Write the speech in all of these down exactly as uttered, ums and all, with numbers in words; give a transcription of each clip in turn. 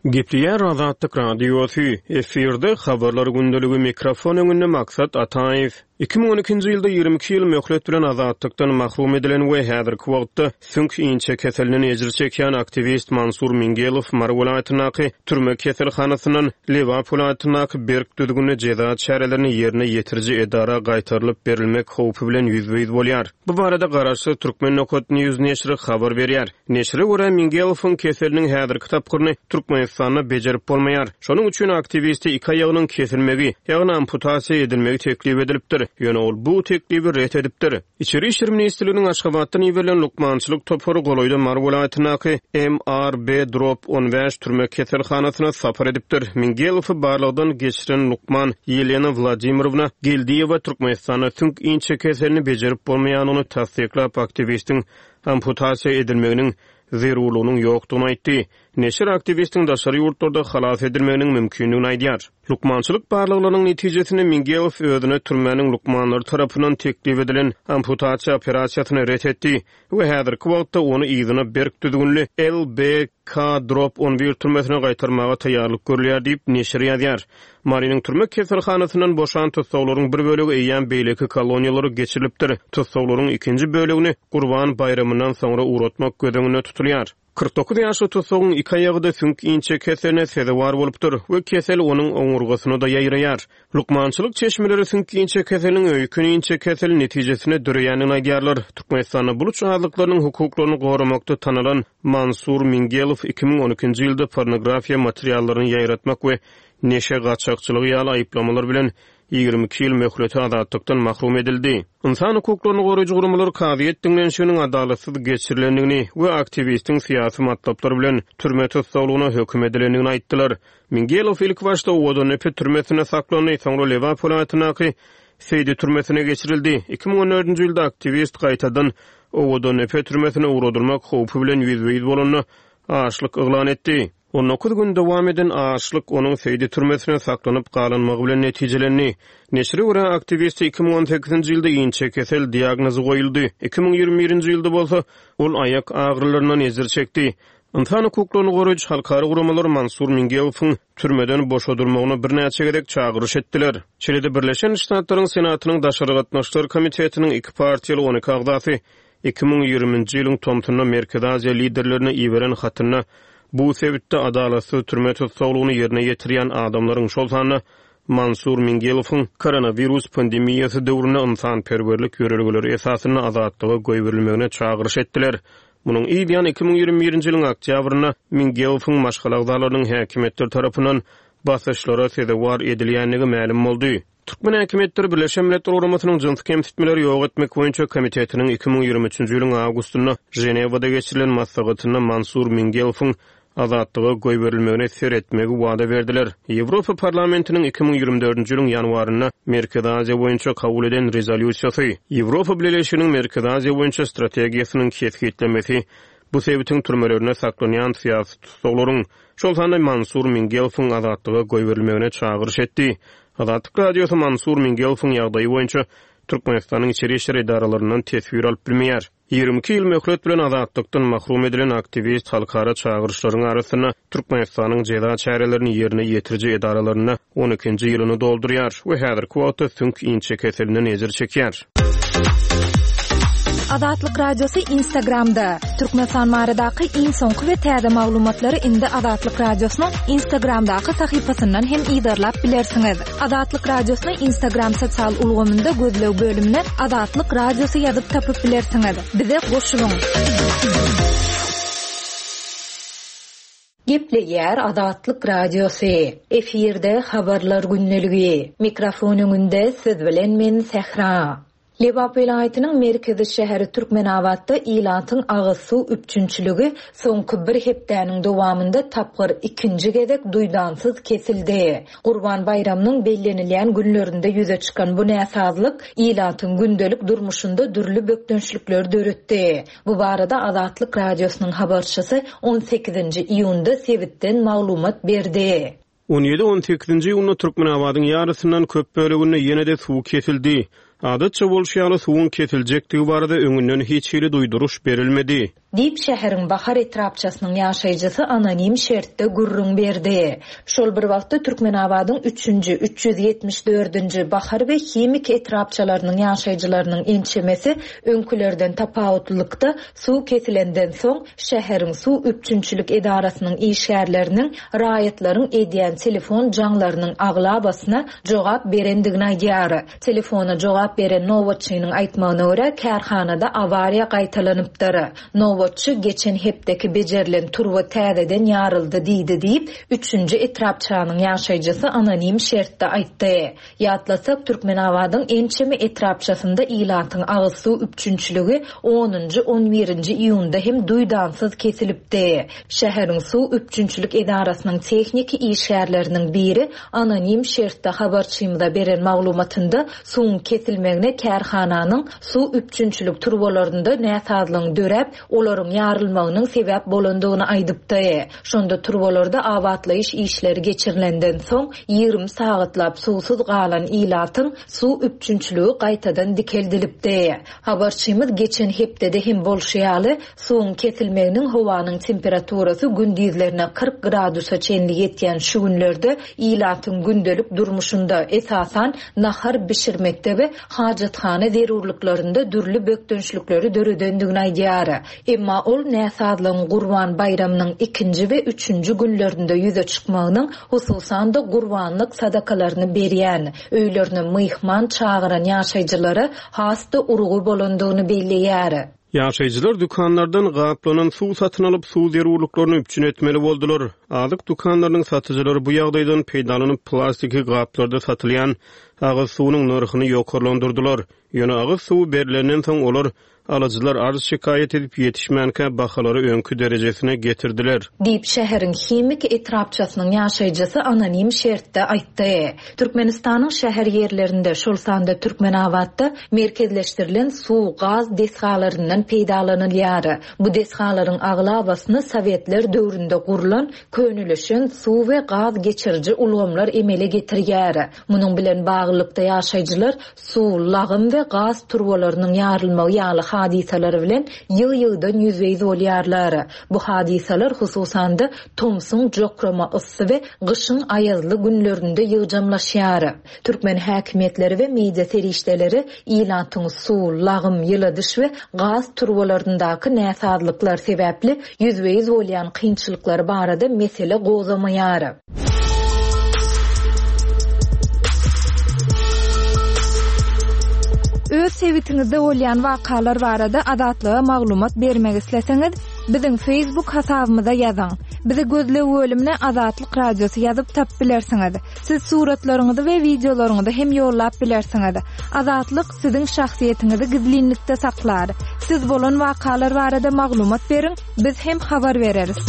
Gepleýär Azatlyk Radiosy, efirde Habarlar gündeligi, mikrofon öňünde Maksat Ataýew. Iki müň on ikinji ýylda ýigrimi iki ýyl möhlet bilen azatlykdan mahrum edilen we häzirki wagtda süňk inçekeselinden ejir çekýän aktiwist Mansur Mingelow Mary welaýatyndaky türme keselhanasyndan Lebap welaýatyndaky berk düzgünli jeza çärelerini ýerine ýetiriji edara gaýtarylyp berilmek howpy bilen ýüzbe-ýüz bolýar. Bu barada garaşsyz Türkmen nokat News neşiri habar berýär. Neşire görä, Mingelowyň keseliniň häzirki tapgyryny Türkmenistanda bejerip bolmaýar. Şonuň üçin aktiwiste iki aýagynyň kesilmegi, ýagny amputasiýa edilmegi teklip edilipdir. Ýöne ol bu teklibi ret edipdir. Içeri işler ministrliginiň Aşgabatdan iberilen lukmançylyk topary golaýda Mary welaýatyndaky M R B drop on bäş türme keselhanasyna sapar edipdir. Mingelowy barlagdan geçiren lukman Ýelena Wladimirowna Geldiýewa Türkmenistanda süňk inçekeselini bejerip bolmaýanyny tassyklap, aktiwistiň amputasiýa edilmeginiň zerurlygynyň ýokdugyny aýtdy. Neşir aktiwistiň daşary ýurtlarda halas edilmeginiň mümkindigini aýdýar. Lukmançylyk barlaglarynyň netijesinde Mingelow özüne türmäniň lukmanlary tarapyndan teklip edilen amputasiýa operasiýasyny ret etdi we häzirki wagtda ony yzyna berk düzgünli L B K drop on bir türmesine gaýtarmaga taýýarlyk görülýär diýip neşir ýazýar. Marynyň türme keselhanasyndan boşan tussaglaryň bir bölegi eýýäm beýleki koloniýalara geçirilipdir. Tussaglaryň ikinji bölegini Gurban baýramyndan soňra ugratmak göz öňünde tutulýar. Kyrk dokuz ýaşly tussagyň iki aýagy-da süňk inçekeseline sezewar bolupdyr we kesel onuň oňurgasyna da ýaýraýar. Lukmançylyk çeşmeleri süňk inçekeseliniň öýkün inçekeseli netijesinde döreýändigini aýdýarlar. Türkmenistanda buluç azlyklarynyň hukuklaryny goramakda tanalan Mansur Mingelow iki müň on ikinji ýylda pornografiýa materiallaryny ýaýratmak we neşe gaçakçylygy ýaly aýyplamalar bilen ýigrimi iki ýyl möhleti azatlykdan mahrum edildi. Ynsan hukuklaryny goraýjy guramalar kazyýet diňlenişiginiň adalatsyz geçirilendigini we aktiwistiň syýasy matlaplar bilen türme tussaglygyna höküm edilendigini aýtdylar. Mingelow ilk başda Owadandepe türmesinde saklandy, soňra Lebap welaýatyndaky Seýdi türmesine geçirildi. Iki müň on dördünji ýylda aktiwist gaýtadan Owadandepe türmesine ugradylmak howpy bilen ýüzbe-ýüz bolanda açlyk yglan etdi. On dokuz gün dowam eden açlyk onuň Seýdi türmesine saklanyp galynmagy bilen netijelendi. Neşire görä aktiwiste iki müň on sekizinji ýylda inçekesel diagnozy goýuldy. Iki müň ýigrimi birinji ýylda bolsa ol aýak agyrylaryndan ejir çekdi. Ynsan hukuklaryny goraýjy halkara guramalar Mansur Mingelowyň türmeden boşadylmagyna birnäçe gezek çagyryş etdiler. Şeýle-de Birleşen Ştatlaryň Senatynyň Daşary Gatnaşyklar Komitetiniň iki partiýaly on iki agzasy iki müň ýigriminji ýylyň tomsunda Merkezi Aziýa liderlerine iberen hatynda bu sebitde adalatsyz türme tussaglygyny ýerine ýetirýän adamlaryň, şol sanda Mansur Mingelowyň koronawirus pandemiýasy döwründe ynsanperwerlik ýörelgeleri esasynda azatlyga goýberilmegine çagyryş etdiler. Munuň ýany iki müň ýigrimi birinji ýylyň oktýabrynda Mingelowyň maşgala agzalarynyň häkimiýetler tarapyndan basyşlara sezewar edilýändigi mälim boldy. Türkmen häkimiýetleri Birleşen Milletler Guramasynyň jynsy kemsitmeleri ýok etmek boýunça komitetiniň iki müň ýigrimi üçünji ýylyň awgustynda Ženewada geçirilen maslahatynda Mansur Mingelowyň azatlyga goýberilmegine seretmegi wada berdiler. Ýewropa Parlamentiniň iki müň ýigrimi dördünji ýylyň ýanwarynda Merkezi Aziýa boýunça kabul eden rezolýusiýasy, Ýewropa Bileleşiginiň Merkezi Aziýa boýunça strategiýasynyň kesgitlemesi bu sebitiň türmelerinde saklanýan syýasy tussaglaryň, şol sanda Mansur Mingelowyň azatlyga goýberilmegine çagyryş etdi. Azatlyk Radiosy Mansur Mingelowyň ýagdaýy boýunça Türkmenistanyň içeri işler edaralaryndan teswir alyp bilmeýär. Ýigrimi iki ýyl möhlet bilen azatlykdan mahrum edilen aktiwist halkara çagyryşlaryň arasynda Türkmenistanyň jeza çärelerini ýerine ýetiriji edaralarynda on ikinji ýylyny doldurýar we häzirki wagtda süňk inçekeselinden ejir çekýär. Azatlyk Radiosy Instagramda. Türkmenistan baradaky iň soňky we täze maglumatlary indi Azatlyk Radiosynyň Instagramdaky sahypasyndan hem yzarlap bilersiňiz. Azatlyk Radiosyny Instagram sosial ulgamynda gözleg bölümine Azatlyk Radiosy ýazyp tapyp bilersiňiz. Bize goşulyň. Gepleýär Azatlyk Radiosy. Efirde habarlar gündeligi. Mikrofon öňünde siz bilen men Sähra. Lebap welaýatynyň merkezi şäheri Türkmenabatda ilatyň agyz suw üpjünçiligi soňky bir hepdäniň dowamynda tapgyr ikinji gezek duýdansyz kesildi. Gurban baýramynyň bellenilýän günlerinde ýüze çykan bu näsazlyk ilatyň gündelik durmuşynda dürli bökdençlikler döretdi. Bu barada Azatlyk Radiosynyň habarçysy on sekizinji iýunda sebitden maglumat berdi. On ýedi on sekizinji iýunda Türkmenabadyň ýarysyndan köp böleginde ýene-de suw kesildi. Adatça bolşy ýaly suwuň kesiljekdigi barada öňünden hiç hili duýduryş berilmedi. Diýip, şäheriň Bahar etrapçasynyň ýaşaýjysy anonim şertde gürrüň berdi. Şol bir wagtda, Türkmenabadyň üçünji, üç ýüz ýetmiş dördünji, Bahar we Himik etrapçalarynyň ýaşaýjylarynyň ençemesi öňkülerden tapawutlylykda, suw kesilenden soň, şäheriň suw üpjünçilik edarasynyň işgärleriniň raýatlaryň edýän telefon jaňlarynyň aglabasyna jogap berendigini aýdýar. Telefona jogap beren nobatçynyň aýtmagyna görä, kärhanada awariýa gaýtalanypdyr. Nobatçy geçen hepdeki bejerilen turba täzeden ýaryldy diýdi diýip, üçünji etrapçanyň ýaşaýjysy anonim şertde aýtdy. Ýatlasak, Türkmenabadyň ençeme etrapçasynda ilatyň agyz suw üpjünçiligi onunjy, on birinji iýunda hem duýdansyz kesilipdi. Şäheriň suw üpjünçilik edarasynyň tehniki işgärleriniň biri anonim şertde habarçymyza beren maglumatynda suwuň kesilmegine kärhananyň suw üpjünçilik turbalarynda näsazlygyň döräp, olaryň ýarylmagynyň sebäp bolandygyny aýdypdy. Şonda turbalarda abatlaýyş işleri geçirilenden soň, ýigrimi sagatlap suwsuz galan ilatyň suw üpjünçiligi gaýtadan dikeldilipdi. Habarçymyz geçen hepdede hem bolşy ýaly, suwuň kesilmeginiň howanyň temperaturasy gündizlerine kyrk gradusa çenli ýetýän şu günlerde ilatyň gündelik durmuşynda, esasan, nahar bişirmekde we hajathana zerurlyklarynda dürli bökdençlikleri döredendigini aýdýar. Emma ol näsazlygyň Gurban baýramynyň ikinji we üçünji günlerinde ýüze çykmagynyň, hususan-da, gurbanlyk sadakalaryny berýän, öýlerine myhman çagyran ýaşaýjylara has-da urgy bolandygyny belleýär. Ýaşaýjylar dükanlardan gaplanan suw satyn alyp, suw zerurlyklaryny üpjün etmeli boldular. Azyk dükanlarynyň satyjylary bu ýagdaýdan peýdalanyp, plastiki gaplarda satylýan agyz suwunyň nyrhyny ýokarlandyrdylar. Ýöne agyz suwy berlenden soň, olar alyjylar arz-şikaýat edip ýetişmänkä bahalary öňki derejesine getirdiler. Diýip, şäheriň Himik etrapçasynyň ýaşaýjysy anonim şertde aýtdy. Türkmenistanyň şäher ýerlerinde, şol sanda Türkmenabatda merkezleşdirilen suw, gaz desgalaryndan peýdalanylýar. Bu desgalaryň aglabasyny sowetler döwründe gurlan, könelişen suw we gaz geçiriji ulgamlar emele getirýär. Munuň bilen baglylykda ýaşaýjylar suw, lagym we gaz turbalarynyň ýarylmagy ýaly hadysalar bilen ýygy-ýygydan ýüzbe-ýüz bolýarlar. Bu hadysalar hususan-da tomsuň jokrama yssy we gyşyň aýazly günlerinde ýygjamlaşýar. Türkmen häkimiýetleri we media serişdeleri ilatyň suw, lagym, ýyladyş we gaz turbalaryndaky näsazlyklar sebäpli ýüzbe-ýüz bolýan kynçylyklary barada mesele gozgamaýar. Öz sebitiňizde bolýan wakalar barada Azatlyga maglumat bermek isleseňiz, biziň Facebook hasabymyza ýazyň. Bizi gözleg bölümine Azatlyk Radiosy ýazyp tapyp bilersiňiz. Siz suratlaryňyzy we wideolaryňyzy hem ýollap bilersiňiz. Azatlyk siziň şahsyýetiňizi gizlinlikde saklar. Siz bolan wakalar barada maglumat beriň, biz hem habar bereris.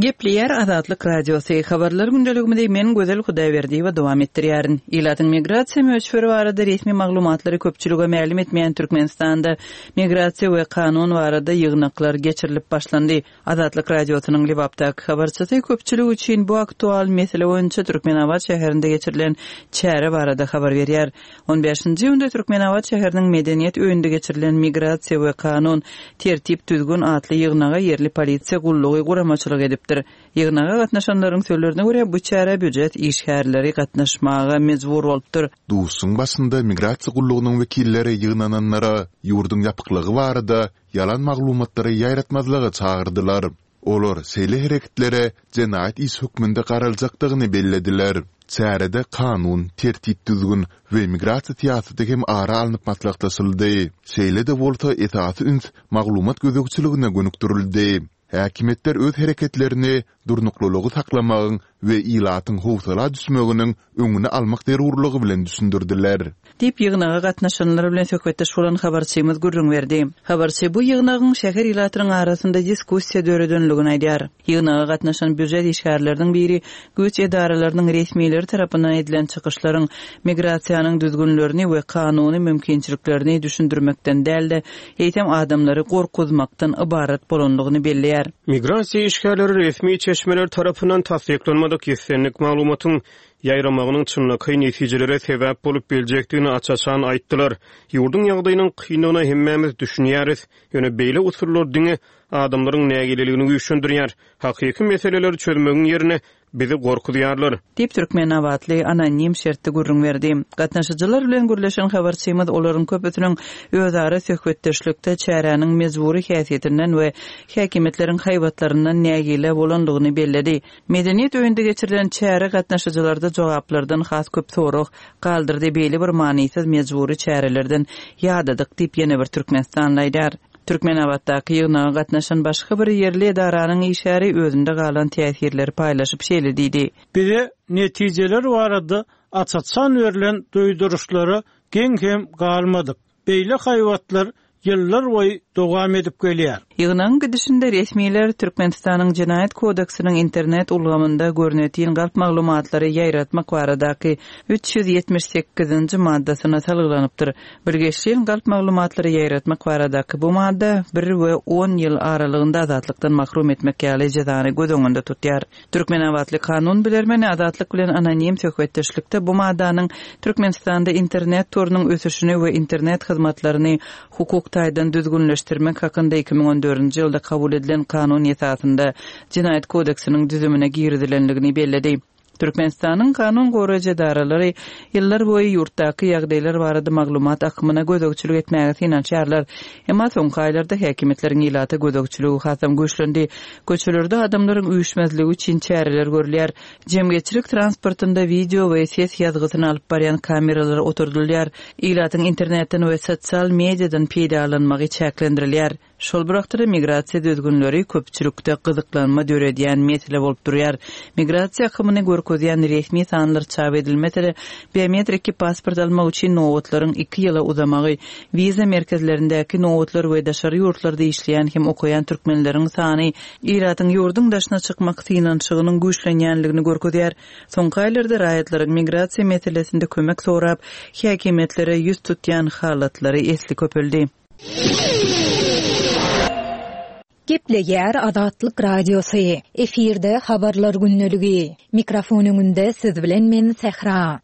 Gepleýär Azatlyk Radiosy. Habarlar gündeligimizi men Gözel Hudaýberdiýewa dowam etdirýärin. Ilatyň migrasiýa möçberi barada resmi maglumatlary köpçülige mälim etmeýän Türkmenistanda migrasiýa we kanun barada ýygnaklar geçirilip başlandy. Azatlyk Radiosynyň Lebapdaky habarçysy köpçülik üçin bu aktual mesele boýunça Türkmenabat şäherinde geçirilen çäre barada habar berýär. On bäşinji iýunda Türkmenabat şäheriniň Medeniýet öýünde geçirilen migrasiýa we kanun tertip-düzgün atly ýygnaga ýerli polisiýa gullugy guramaçylyk edipdir. Ýygnaga gatnaşanlaryň sözlerine görä, bu çärä býujet işgärleri gatnaşmaga mejbur bolupdyr. Duşuşygyň başynda migrasiýa gullugynyň wekilleri ýygnananlara ýurduň ýapyklygy barada ýalan maglumatlary ýaýratmazlyga çagyrdylar. Olar şeýle hereketlere jenaýat işi hökmünde garaljakdygyny bellediler. Çärede kanun, tertip-düzgün we migrasiýa syýasaty hem ara alnyp maslahatlaşyldy. Şeýle-de bolsa, esasy üns maglumat gözegçiligine gönükdirildi. Häkimiýetler öz hereketlerini durnuklylygy saklamagyň we ilatyň howsala düşmeginiň öňüni almak zerurlygy bilen düşündirdiler. Diýip, ýygnaga gatnaşanlar bilen söhbetdeş bolan habarçymyz gürrüň berdi. Habarçy bu ýygnagyň şäher ilatynyň arasynda diskussiýa döredenligini aýdýar. Ýygnaga gatnaşan býujet işgärleriniň biri güýç edaralarynyň resmileri tarapyndan edilen çykyşlaryň migrasiýanyň düzgünlerini we kanuny mümkinçiliklerini düşündirmekden däl-de, eýsem adamlary gorkuzmakdan ybarat bolanlygyny belleýär. Migrasiýa işgärleri resmi çeşmeler tarapyndan tassyklanmadyk islendik maglumatyň ýaýramagynyň çynlakaý netijelere sebäp bolup biljekdigini aç-açan aýtdylar. Ýurduň ýagdaýynyň kyndygyna hemmämiz düşünýäris. Ýöne beýle usullar diňe adamlaryň nägileligini güýçlendirýär. Hakyky meseleleri çözmegiň ýerine bizi gorkuzýarlar. Diýip, türkmenabatly anonim şertde gürrüň berdi. Gatnaşyjylar bilen gürleşen habarçymyz olaryň köpüsiniň özara söhbetdeşlikde çäräniň mejbury häsiýetinden we häkimiýetleriň haýbatlaryndan nägile bolandygyny belledi. Medeniýet öýünde geçirilen çäre gatnaşyjylarda jogaplardan has köp sorag galdyrdy, Beýle bir manysyz mejbury çärelerden ýadadyk diýip, ýene bir türkmenistanly aýdýar. Türkmenabatdaky ýygnaga gatnaşan başga bir ýerli edaranyň işgäri özünde galan täsirleri paýlaşyp şeýle diýdi. Bize netijeler barada aç-açan berlen duýduryşlara geň hem galmadyk. Beýle haýbatlar ýyllar boýy dowam edip gelýär. Ýygnagyň gidişinde resmiler Türkmenistanyň Jenaýat kodeksiniň internet ulgamynda görnetin galp maglumatlary ýaýratmak baradaky üç ýüz ýetmiş sekizinji maddasyna salgylanypdyr. Bilgeşleýin galp maglumatlary ýaýratmak baradaky bu madda bir we on ýyl aralygynda azatlykdan mahrum etmek ýaly jezany göz öňünde tutýar. Türkmenabatly kanun bilermeni Azatlyk bilen anonim söhbetdeşlikde bu maddanyň Türkmenistanda internet torunyň ösüşini we internet hyzmatlaryny hukuk taýdan düzgünleşdirmek hakynda iki müň on dördünji ýylda kabul edilen kanun esasynda Jenaýat kodeksiniň düzümine girizilendigini belledi. Türkmenistanyň kanun goraýjy edaralary ýyllar boýy ýurtdaky ýagdaýlar barada maglumat akymyna gözegçilik etmäge synanyşýarlar. Emma soňky aýlarda häkimiýetleriň ilata gözegçiligi hasam güýçlendi. Köçelerde adamlaryň üýşmezligi üçin çäreler görülýär. Jemgyýetçilik transportynda wideo we ses ýazgysyny alyp barýan kameralar oturdylýar. Ilatyň internetden we sosial mediadan peýdalanmagy çäklendirilýär. Şol bir wagtda-da migrasiýa düzgünleri köpçülikde gyzyklanma döredýän mesele bolup durýar. Migrasiýa akymyny görkezýän resmi sanlar çap edilmese-de, biometriki pasport almak üçin nobatlaryň iki ýyla uzamagy, wiza merkezlerindäki nobatlar we daşary ýurtlarda işleýän hem okaýan türkmenleriň sany ilatyň ýurduň daşyna çykmak synanyşygynyň güýçlenýänligini görkezýär. Soňky aýlarda raýatlaryň migrasiýa meselesinde kömek sorap, häkimiýetlere ýüz tutýan halatlary esli köpeldi. Gepleýär Azatlyk Radiosy. Efirde habarlar gündeligi. Mikrofon öňünde siz bilen men Sähra.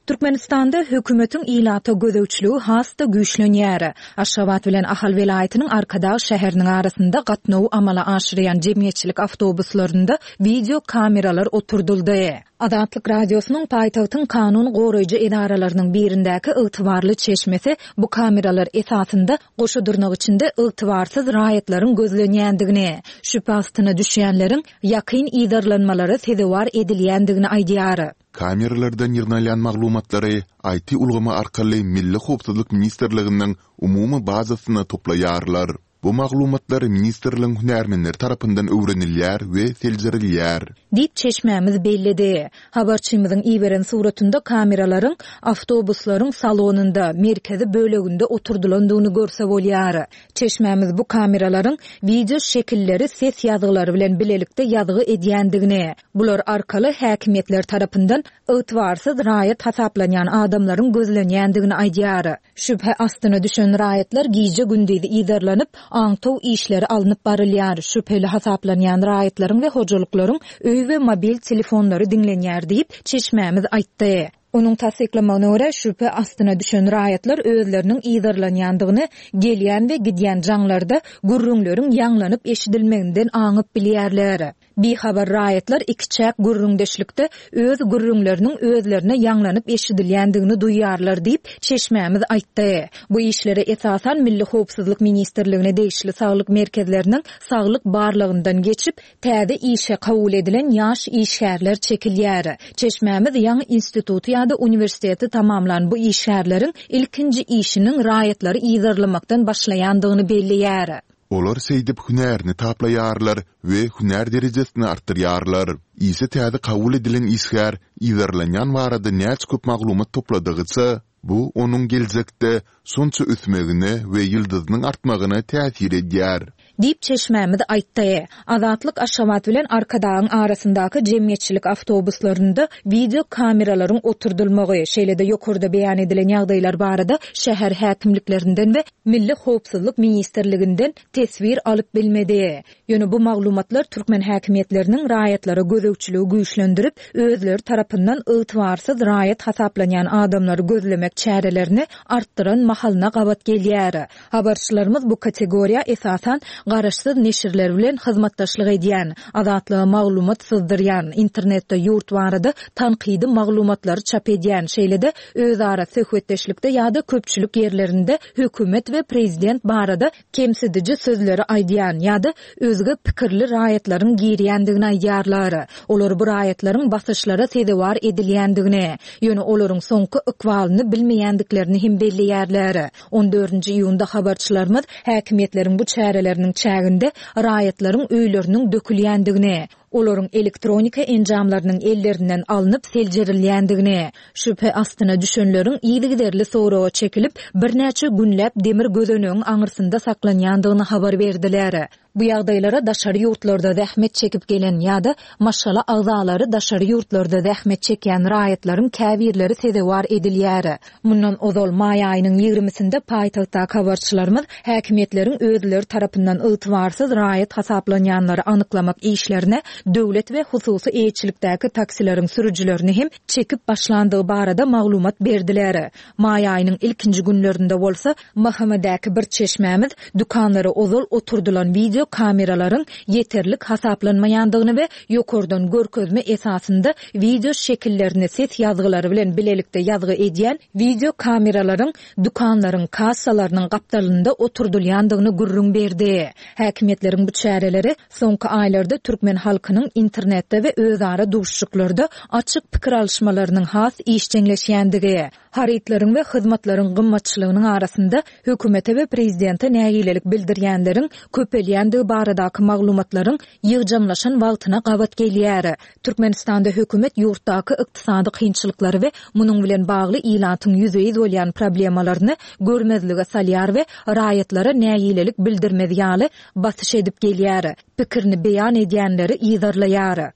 Türkmenistanda hökümetiň ilata gözegçiligi has-da güýçlenýär. Aşgabat bilen Ahal welaýatynyň Arkadag şäheriniň arasynda gatnawy amala aşyrýan jemgyýetçilik awtobuslarynda wideo kameralar oturdyldy. Azatlyk Radiosynyň paýtagtyň kanun goraýjy edaralarynyň birindäki ygtybarly çeşmesi bu kameralar esasynda goşa dyrnak içinde ygtybarsyz raýatlaryň gözlenýändigini, şübhe astyna düşýänleriň ýakyn yzarlanmalara sezewar edilýändigini aýdýar. Kameralardan ýygnalýan maglumatlary I T ulgamy arkaly Milli Howpsuzlyk Ministrliginiň umumy bazasyna toplaýarlar. Bu maglumatlar ministrligiň hünärmenleri tarapyndan öwrenilýär we seljerilýär. Diýip çeşmämiz belledi. Habarçymyzyň iberen suratynda kameralaryň awtobuslaryň salonynda, merkezi böleginde oturdylandygyny görse bolýar. Çeşmämiz bu kameralaryň wideo şekilleri ses ýazgylary bilen bilelikde ýazgy edýändigini, bular arkaly häkimiýetler tarapyndan ygtybarsyz raýat hasaplanýan adamlaryň gözlenýändigini aýdýar. Şübhe astyna düşen raýatlar gije gündiz yzarlanyp, aňtaw işleri alnyp barylýar. Şübheli hasaplanýan raýatlaryň we hojalyklaryň öý we mobil telefonlary diňlenýär diýip çeşmämiz aýtdy. Onuň tassyklamagyna görä şübhe astyna düşen raýatlar özleriniň yzarlanýandygyny gelýän we gidýän jaňlarda gürrüňleriň ýaňlanyp eşidilmeginden aňyp bilýärler. Bihabar raýatlar iki çäk gürrüňdeşlikde öz gürrüňleriniň özlerine ýaňlanyp eşidilýändigini duýarlar diýip çeşmämiz aýtdy. Bu işlere esasan Milli Howpsuzlyk Ministrligine degişli saglyk merkezleriniň saglyk barlagyndan geçip, täze işe kabul edilen ýaş işgärler çekilýär. Çeşmämiz ýaňy instituty ýa-da uniwersiteti tamamlan bu işgärleriň ilkinji işiniň raýatlary yzarlamakdan başlaýandygyny belleýär. Olar şeýdip hünärini taplaýarlar we hünär derejesini artdyrýarlar. Işe täze kabul edilen işgär yzarlanýan barada näçe köp maglumat topladygyça, bu onuň geljekde şonça ösmegine we ýyldyzynyň artmagyna täsir edýär. Diýip, çeşmämiz aýtdy. Azatlyk Aşgabat bilen Arkadagyň arasyndaky jemgyýetçilik awtobuslarynda wideo kameralaryň oturdylmagy, şeýle-de ýokarda beýan edilen ýagdaýlar barada şäher häkimliklerinden we Milli howpsuzlyk ministrliginden teswir alyp bilmedi. Ýöne bu maglumatlar türkmen häkimiýetleriniň raýatlara gözegçiligi güýçlendirip, özleri tarapyndan ygtybarsyz raýat hasaplanýan adamlary gözlemek çärelerini artdyran mahalyna gabat gelýär. Habarçylarymyz bu kategoriýa esasan garaşsyz neşirler bilen hyzmatdaşlyk edýän, Azatlyga maglumat syzdyrýan, internetde ýurt barada tankydy maglumatlary çap edýän, şeýle-de özara söhbetdeşlikde ýa-da köpçülik ýerlerinde hökümet we prezident barada kemsidiji sözleri aýdýan ýa-da özge pikirli raýatlaryň girýändigini aýdýarlar. Olar bu raýatlaryň basyşlara sezewar edilýändigini, ýöne olaryň soňky ykbalyny bilmeýändiklerini hem belleýärler. On dördünji iýunda habarçylarymyz häkimiýetleriň bu çäreleriniň çäginde raýatlaryň öýleriniň dökülýändigini, olaryň elektronika enjamlarynyň ellerinden alnyp seljerilýändigini, şübhe astyna düşenleriň yzygiderli soraga çekilip, birnäçe günläp demir gözenegiň aňyrsynda saklanýandygyny habar berdiler. Bu ýagdaýlara daşary ýurtlarda zähmet çekip gelen ýa-da maşgala agzalary daşary ýurtlarda zähmet çekýän raýatlaryň käbirleri sezewar edilýär. Mundan ozal, maý aýynyň ýigrimisinde paýtagtdaky habarçylarymyz häkimiýetleriň özleri tarapyndan ygtybarsyz raýat hasaplanýanlary anyklamak işlerine döwlet we hususy eýeçilikdäki taksileriň sürüjilerini hem çekip başlandygy barada maglumat berdiler. Maý aýynyň ilkinji günlerinde bolsa, M H M-däki bir çeşmämiz dükanlara ozal oturdylan wideo kameralaryň ýeterlik hasaplanmaýandygyny we ýokardan görkezme esasynda wideo şekillerini ses ýazgylary bilen bilelikde ýazgy edýän wideo kameralaryň dükanlaryň kassalarynyň gapdalynda oturdylýandygyny gürrüň berdi. Häkimiýetleriň bu çäreleri soňky aýlarda türkmen halkynyň internetde we özara duşuşyklarda açyk pikir alyşmalarynyň has işjeňleşýändigi, harytlaryň we hyzmatlaryň gymmatçylygynyň arasynda hökümete we prezidente nägilelik bildirýänleriň köpelýändigi baradaky maglumatlaryň ýygjamlaşan wagtyna gabat gelýär. Türkmenistanda hökümet ýurtdaky ykdysady kynçylyklary we munuň bilen bagly ilatyň ýüzbe-ýüz bolýan problemalaryny görmezlige salýar we raýatlara nägilelik bildirmez ýaly basyş edip gelýär, pikirini beýan edýänleri yzarlaýar.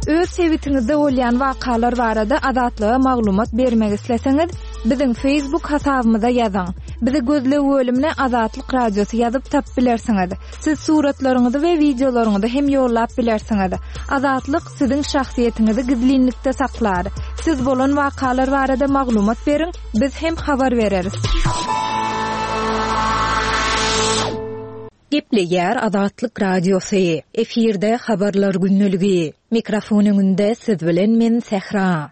Öz sebitiňizde bolýan wakalar barada Azatlyga maglumat bermek isleseňiz, biziň Facebook hasabymyza ýazyň. Bizi gözleg bölümine Azatlyk Radiosy ýazyp tapyp bilersiňiz. Siz suratlaryňyzy we wideolaryňyzy hem ýollap bilersiňiz. Azatlyk siziň şahsyýetiňizi gizlinlikde saklar. Siz bolan wakalar barada maglumat beriň, biz hem habar bereris. Gepleýär Azatlyk Radiosy. Efirde habarlar gündeligi. Mikrofon öňünde siz bilen men Sähra.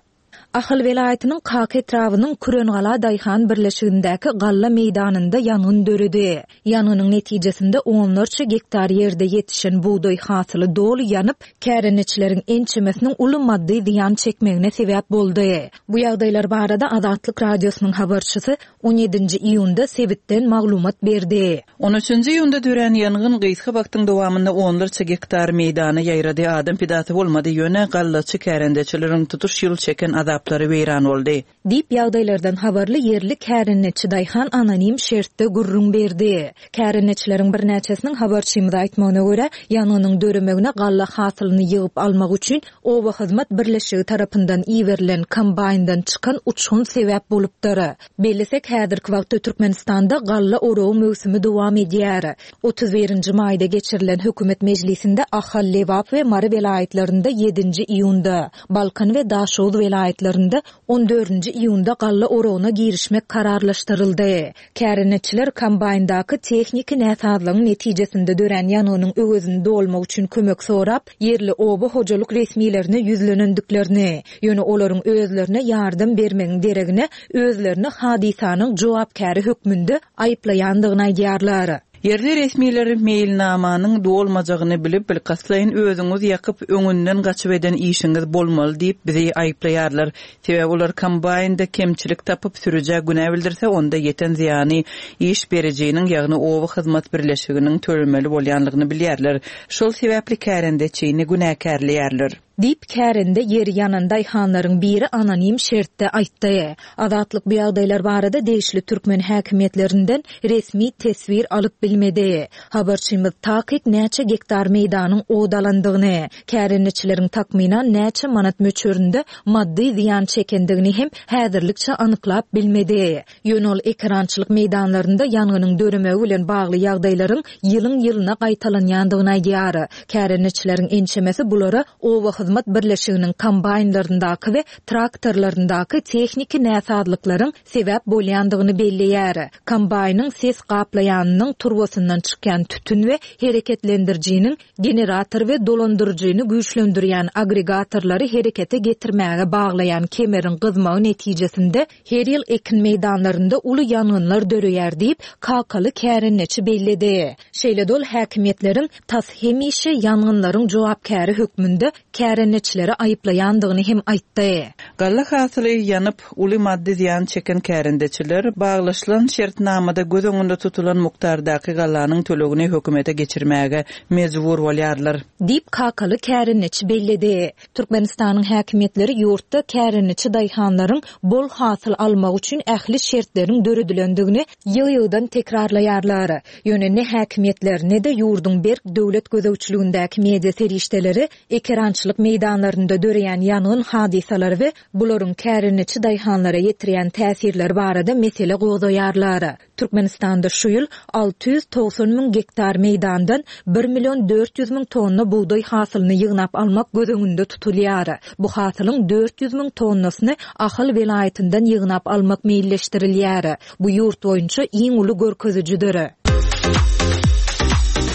Ahal welaýatynyň Kaka etrabynyň Kürengala daýhan birleşigindäki galla meýdanynda ýangyn döredi. Ýangynyň netijesinde onlarça gektar ýerde ýetişen bugdaý hasyly doly ýanyp, kärendeçileriň ençemesiniň uly maddy zyýan çekmegine sebäp boldy. Bu ýagdaýlar barada Azatlyk Radiosynyň habarçysy on ýedinji iýunda sebitden maglumat berdi. On üçünji iýunda dörän ýangyn gysga wagtyň dowamynda onlarça gektar meýdana ýaýrady, adam pidasy bolmady, ýöne gallaçy kärendeçileriň tutuş ýyl çeken azaplary weýran boldy. Diýip, ýagdaýlardan habarly ýerli kärendeçi daýhan anonim şertde gürrüň berdi. Kärendeçileriň birnäçesiniň habarçymyza aýtmagyna görä, ýangynyň döremegine galla hasylyny ýygyp almak üçin oba hyzmat birleşigi tarapyndan iberilen kombaýndan çykan uçgun sebäp bolupdyr. Bellesek, häzirki wagtda Türkmenistanda galla oragy möwsümi dowam edýär. Otuz birinji maýda geçirilen hökümet mejlisinde Ahal, Lebap we Mary welaýatlarynda ýedinji iýunda, Balkan we Daşoguz welaýatlarynda on dördünji iýunda galla oragyna girişmek kararlaşdyryldy. Kärendeçiler kombaýndaky tehniki näsazlygyň netijesinde dörän ýangynyň öwezini dolmak üçin kömek sorap, ýerli oba hojalyk resmilerine ýüzlenendiklerini, ýöne olaryň özlerine ýardam bermegiň deregine özlerini hadysanyň jogapkäri hökmünde aýyplaýandygyny aýdýarlar. Ýerli resmiler meýilnamanyň dolmajagyny bilip, bilkastlaýyn özüňiz ýakyp, öňünden gaçyp eden işiňiz bolmaly diýip bizi aýyplaýarlar. Sebäbi olar kombaýnda kemçilik tapyp sürüjä günä bildirse, onda ýeten zyýany iş berijiniň, ýagny oba hyzmat birleşiginiň tölemeli bolýanlygyny bilýärler. Şol sebäpli kärendeçini günäkärleýärler. Diýip, kärende ýeri ýanan daýhanlaryň biri anonim şertde aýtdy. Azatlyk bu ýagdaýlar barada degişli türkmen häkimiýetlerinden resmi teswir alyp bilmedi. Habarçymyz takyk näçe gektar meýdanyň ot alandygyny, kärendeçileriň takmynan näçe manat möçberinde maddy zyýan çekendigini hem häzirlikçe anyklap bilmedi. Ýöne ol ekerançylyk meýdanlarynda ýangynyň döremegi bilen bagly ýagdaýlaryň ýylyň-ýylyna gaýtalanýandygyny aýdýar. Kärendeçileriň ençemesi bulara oba hyzmat birleşiginiň kombaýnlaryndaky we traktorlaryndaky tehniki näsazlyklaryň sebäp bolýandygyny belleýär. Kombaýnyň ses gaplaýanynyň turbasyndan çykýan tütün we hereketlendirijiniň generator we dolandyryjyny güýçlendirýän agregatorlary herekete getirmäge baglaýan kemeriň gyzmagy netijesinde her ýyl ekin meýdanlarynda uly ýangynlar döreýär diýip, kakaly kärendeçi belledi. Şeýle-de ol häkimiýetleriň tas hemişe ýangynlaryň jogapkäri hökmünde kärendeçileri aýyplaýandygyny hem aýtdy. Galla hasyly ýanyp, uly maddy zyýan çeken kärendeçiler baglaşylan şertnamada göz öňünde tutulan mukdardaky gallanyň tölegini hökümete geçirmäge mejbur bolýarlar. Diýip, kakaly kärendeçi belledi. Türkmenistanyň häkimiýetleri ýurtda kärendeçi daýhanlaryň bol hasyl almagy üçin ähli şertleriň döredilendigini ýygy-ýygydan tekrarlaýarlar. Ýöne ne häkimiýetler, ne-de ýurduň berk döwlet gözegçiligindäki media serişdeleri ekerançylyk meýdanlarynda döreýän ýangyn hadysalary we bularyň kärendeçi daýhanlara ýetirýän täsirleri barada mesele gozgaýarlar. Türkmenistanda şu ýyl alty ýüz togsan müň gektar meýdandan bir million dört ýüz müň tonna bugdaý hasylyny ýygnap almak göz öňünde tutulýar. Bu hasylyň dört ýüz müň tonnasyny Ahal welaýatyndan ýygnap almak meýilleşdirilýär. Bu ýurt boýunça iň uly görkezijidir.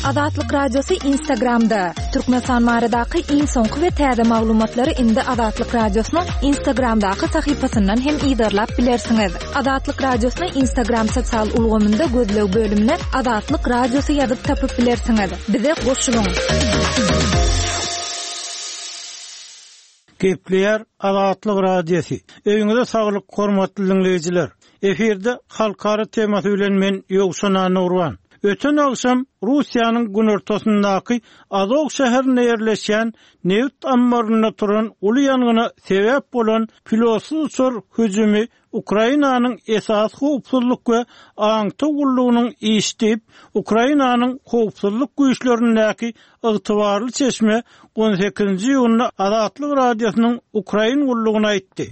Azatlyk Radiosy Instagramda. Türkmenistan baradaky iň soňky we täze maglumatlary indi Azatlyk Radiosynyň Instagramdaky sahypasyndan hem yzarlap bilersiňiz. Azatlyk Radiosyny Instagram sosial ulgamynda gözleg bölümine Azatlyk Radiosy ýazyp tapyp bilersiňiz. Bize goşulyň. Gepleýär Azatlyk Radiosy. Öýüňize saglyk, hormatly dinleýjiler. Efirde halkara temasy bilen men Ýowşan Anurwan. Öten agşam Russiýanyň günortasyndaky Azov şäherinde ýerleşýän neft ammarynda turan uly ýangyna sebäp bolan pilotsyz uçar hüjümi Ukrainanyň esasy howpsuzlyk we aňtaw gullugynyň işi diýip, Ukrainanyň howpsuzlyk güýçlerindäki ygtybarly çeşme on sekizinji iýunda Azatlyk Radiosynyň Ukrain gullugyna aýtdy.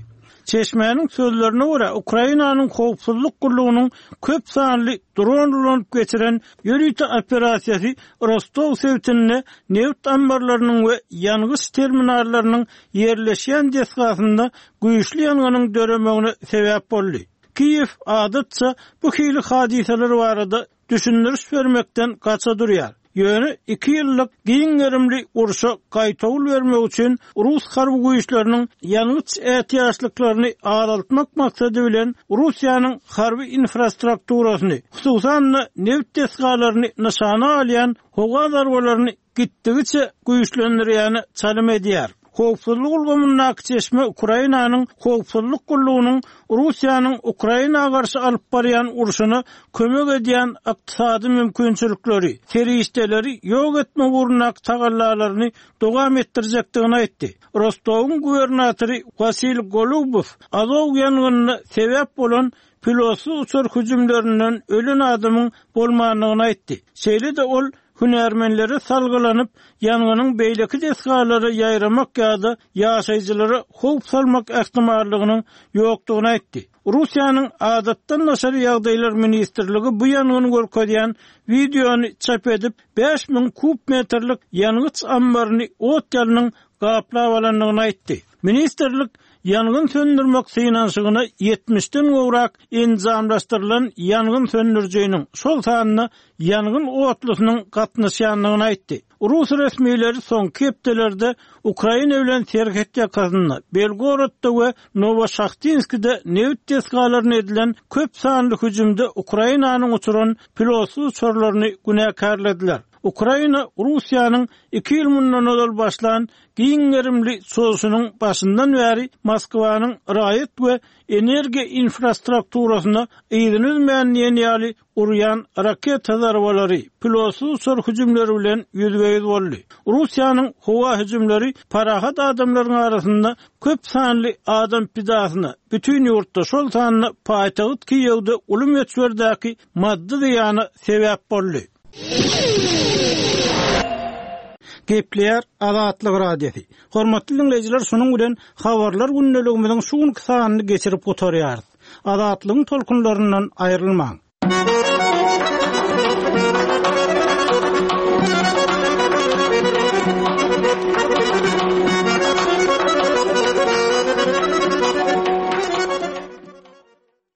Çeşmäniň sözlerine görä, Ukrainanyň howpsuzlyk gullugynyň köp sanly dron ulanyp geçiren ýörite operasiýasy Rostow sebitinde neft ammarlarynyň we ýangyç terminallarynyň ýerleşýän desgasynda güýçli ýangynyň döremegine sebäp boldy. Kiýew adatça bu hili hadysalar barada düşündiriş bermekden gaça durýar. Ýöne iki ýyllyk giň gerimli urşa gaýtawul bermek üçin Rus harby güýçleriniň ýangyç ätiýaçlyklaryny azaltmak maksady bilen Russiýanyň harby infrastrukturasyny, hususan-da neft desgalaryny nyşana alýan howa zarbalaryny gitdigiçe güýçlendirýäni çalym edýär. Howpsuzlyk ulgamyndaky çeşme Ukrainanyň howpsuzlyk gullugynyň Russiýanyň Ukraina garşy alyp barýan urşuna kömek edýän ykdysady mümkinçilikleri, serişdeleri ýok etmek ugrundaky tagallalaryny dowam etdirjekdigini aýtdy. Rostowyň gubernatory Wasil Golubow Azov ýangynyna sebäp bolan pilotsyz uçar hüjümlerinden ölen adamyň bolmandygyny aýtdy. Şeýle-de ol hünärmenlere salgylanyp, ýangynyň beýleki desgalara ýaýramak ýa-da ýaşaýjylara howp salmak ähtimallygynyň ýokdugyny aýtdy. Russiýanyň adatdan daşary ýagdaýlar ministrligi bu ýangyny görkezýän wideony çap edip, bäş müň kub metrlik ýangyç ammaryny ot ýalynyň gaplap alandygyny aýtdy. Ministrlik ýangyn söndürmek synanyşygyna ýetmişden gowrak enjamlaşdyrylan ýangyn söndürijiniň, şol sanda ýangyn otlusynyň gatnaşýandygyny aýtdy. Rus resmileri soňky hepdelerde Ukraina bilen serhet ýakasynda, Belgorodda we Nowoşahtinskide neft desgalaryna edilen köp sanly hüjümde Ukrainanyň uçuran pilotsyz uçarlaryny günäkärlediler. Ukraina Russiýanyň iki ýyl mundan ozal başlan giň gerimli çozuşynyň başyndan bäri Moskwanyň raýat we energiýa infrastrukturasyna yzyny üzmän diýen ýaly urýan raketa zarbalary, pilotsyz uçar hüjümleri bilen ýüzbe-ýüz boldy. Russiýanyň howa hüjümleri parahat adamlaryň arasynda köp sanly adam pidasyna, bütin ýurtda, şol sanda paýtagt Kiýewde uly möçberdäki maddy zyýana sebäp boldy. Gepleýär Azatlyk Radiosy. Hormatly diňleýjiler, şunuň bilen habarlar gündeligimiziň şu günki sanyny geçirip gutarýarys. Azatlygyň tolkunlaryndan aýrylmaň.